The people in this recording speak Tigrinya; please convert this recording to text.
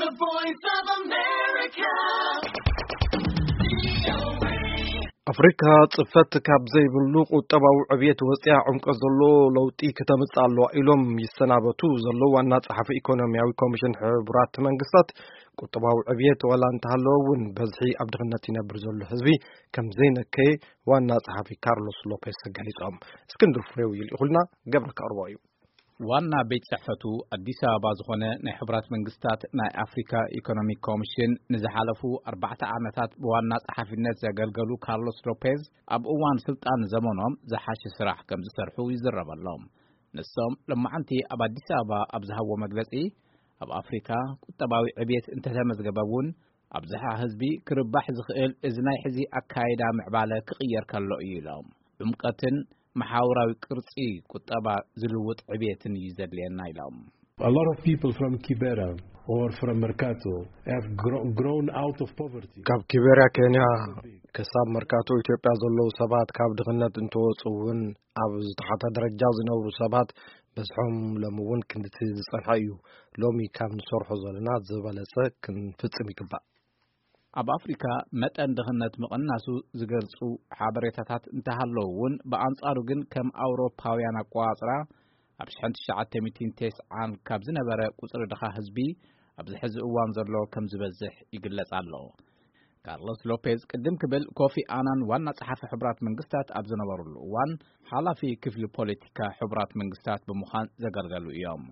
The Voice of America. ኣፍሪካ ጽፈት ካብ ዘይብሉ ቁጠባዊ ዕብየት ወጽያ ዕምቆት ዘሎ ለውጢ ክተምጽእ ኣለዋ ኢሎም ይሰናበቱ ዘለዉ ዋና ጸሓፊ ኢኮኖሚያዊ ኮሚሽን ሕቡራት መንግስታት፣ ቁጠባዊ ዕብየት ዋላ እንተሃለወ እውን በዝሒ ኣብ ድኽነት ይነብር ዘሎ ህዝቢ ከም ዘይነከየ ዋና ጸሓፊ ካርሎስ ሎፔስ ገሊጾም። እስክንድር ፍሬው ይልኢኹልና፣ ገብረ ከቕርቦ እዩ። ዋና ቤት ጽሕፈቱ ኣዲስ ኣበባ ዝኾነ ናይ ሕቡራት መንግስታት ናይ ኣፍሪካ ኢኮኖሚክ ኮሚሽን ንዝሓለፉ ኣርባዕተ ዓመታት ብዋና ጸሓፊነት ዘገልገሉ ካርሎስ ሎፔዝ ኣብ እዋን ስልጣን ዘመኖም ዝሓሸ ስራሕ ከም ዝሰርሑ ይዝረበሎም። ንሶም ለማዓንቲ ኣብ ኣዲስ ኣበባ ኣብ ዝሃብዎ መግለጺ፣ ኣብ ኣፍሪካ ቁጠባዊ ዕብየት እንተተመዝገበ እውን ኣብዝሓ ህዝቢ ክርባሕ ዝኽእል እዚ ናይ ሕዚ ኣካይዳ ምዕባለ ክቕየር ከሎ እዩ ኢሎም። ዕምቀትን መሓውራዊ ቅርጺ ቁጠባ ዝልውጥ ዕብየትን እዩ ዘድልየና ኢሎም። A lot of people from Kibera or from Mercato have gro- grown out of poverty. ካብ ኪቤርያ ኬንያ ክሳብ መርካቶ ኢትዮጵያ ዘለዉ ሰባት ካብ ድኽነት እንትወፁ እውን ኣብ ዝተሓተ ደረጃ ዝነብሩ ሰባት በዝሖም ሎሚ እውን ክንድቲ ዝጸንሐ እዩ። ሎሚ ካብ ንሰርሖ ዘለና ዝበለጸ ክንፍጽም ይግባእ። ኣብ ኣፍሪካ መጠን ድኽነት ምቕናሱ ዝገልጹ ሓበሬታታት እንተሃለዉ እውን፣ ብኣንጻሩ ግን ከም ኣውሮፓውያን ኣቆጻጽራ ኣብ ሽሕን ትሽዓተ ሚእትን ተስዓን ካብ ዝነበረ ቁጽሪ ድኻ ህዝቢ ኣብዚ ሕዚ እዋን ዘሎ ከም ዝበዝሕ ይግለጽ ኣሎ። ካርሎስ ሎፔዝ ቅድም ክብል ኮፊ ኣናን ዋና ጸሓፊ ሕቡራት መንግስታት ኣብ ዝነበሩሉ እዋን ሓላፊ ክፍሊ ፖለቲካ ሕቡራት መንግስታት ብምዃን ዘገልገሉ እዮም።